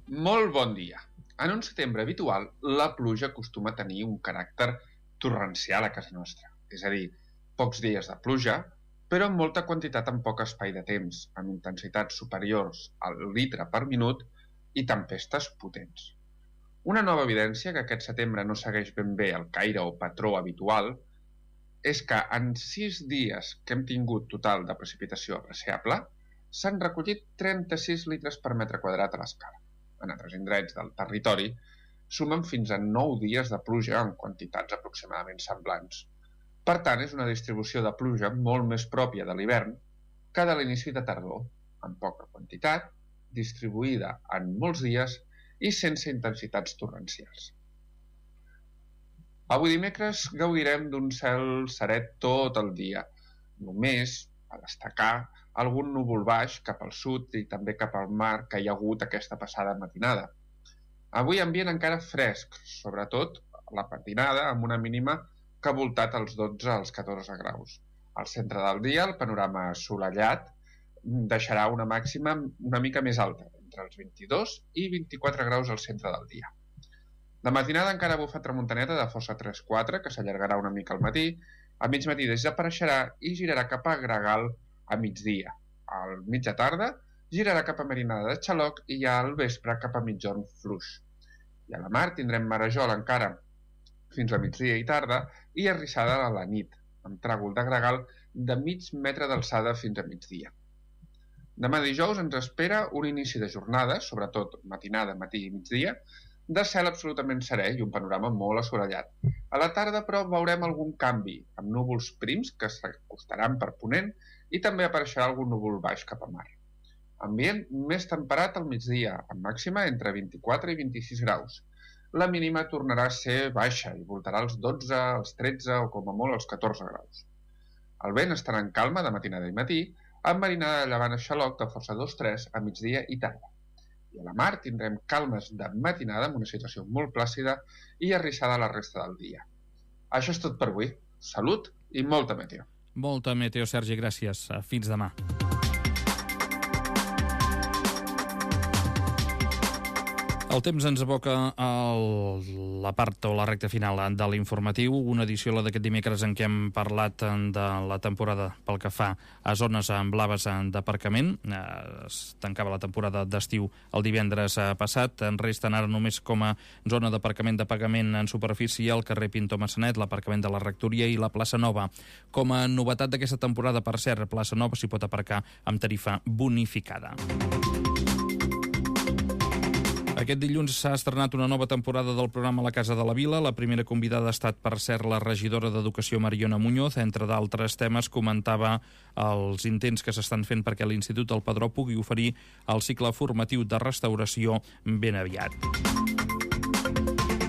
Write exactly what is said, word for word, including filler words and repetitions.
Molt bon dia. En un setembre habitual, la pluja acostuma a tenir un caràcter torrencial a casa nostra. És a dir, pocs dies de pluja, però amb molta quantitat en poc espai de temps, amb intensitats superiors al litre per minut i tempestes potents. Una nova evidència que aquest setembre no segueix ben bé el caire o patró habitual és que en sis dies que hem tingut total de precipitació apreciable, s'han recollit trenta-sis litres per metre quadrat a l'escala. En altres indrets del territori sumen fins a nou dies de pluja en quantitats aproximadament semblants. Per tant, és una distribució de pluja molt més pròpia de l'hivern que de l'inici de tardor, amb poca quantitat, distribuïda en molts dies i sense intensitats torrencials. Avui dimecres gaudirem d'un cel seret tot el dia, només a destacar algun núvol baix cap al sud i també cap al mar que hi ha hagut aquesta passada matinada. Avui ambient encara fresc, sobretot la matinada amb una mínima que ha voltat als dotze als catorze graus. Al centre del dia el panorama assolellat deixarà una màxima una mica més alta, entre els vint-i-dos i vint-i-quatre graus al centre del dia. De matinada encara bufa tramuntaneta de força tres quatre, que s'allargarà una mica al matí, a mig matí desapareixerà i girarà cap a Gregal a migdia. Al mitja tarda girarà cap a Marinada de Xaloc i ja al vespre cap a Migjorn Fluix. I a la mar tindrem marejol encara fins a migdia i tarda i arrissada a la nit, amb tràgol de gregal de mig metre d'alçada fins a migdia. Demà dijous ens espera un inici de jornada, sobretot matinada, matí i migdia, de cel absolutament serè i un panorama molt assolellat. A la tarda, però, veurem algun canvi, amb núvols prims que s'acostaran per ponent i també apareixerà algun núvol baix cap a mar. Ambient més temperat al migdia, amb màxima entre vint-i-quatre i vint-i-sis graus. La mínima tornarà a ser baixa i voltarà als dotze, als tretze o com a molt als catorze graus. El vent estarà en calma de matinada i matí, amb marinada de llevant a Xaloc de força dos tres a migdia i tarda. I a la mar tindrem calmes de matinada amb una situació molt plàcida i arrissada la resta del dia. Això és tot per avui. Salut i molta meteo. Molta meteo, Sergi, gràcies. Fins demà. El temps ens aboca a la part o la recta final de l'informatiu, una edició, la d'aquest dimecres, en què hem parlat de la temporada pel que fa a zones blaves d'aparcament. Es tancava la temporada d'estiu el divendres passat. En resten ara només com a zona d'aparcament de pagament en superfície el carrer Pintor Massanet, l'aparcament de la Rectoria i la plaça Nova. Com a novetat d'aquesta temporada, per cert, plaça Nova s'hi pot aparcar amb tarifa bonificada. Aquest dilluns s'ha estrenat una nova temporada del programa La Casa de la Vila. La primera convidada ha estat, per cert, la regidora d'Educació Mariona Muñoz. Entre d'altres temes, comentava els intents que s'estan fent perquè l'Institut del Padró pugui oferir el cicle formatiu de restauració ben aviat.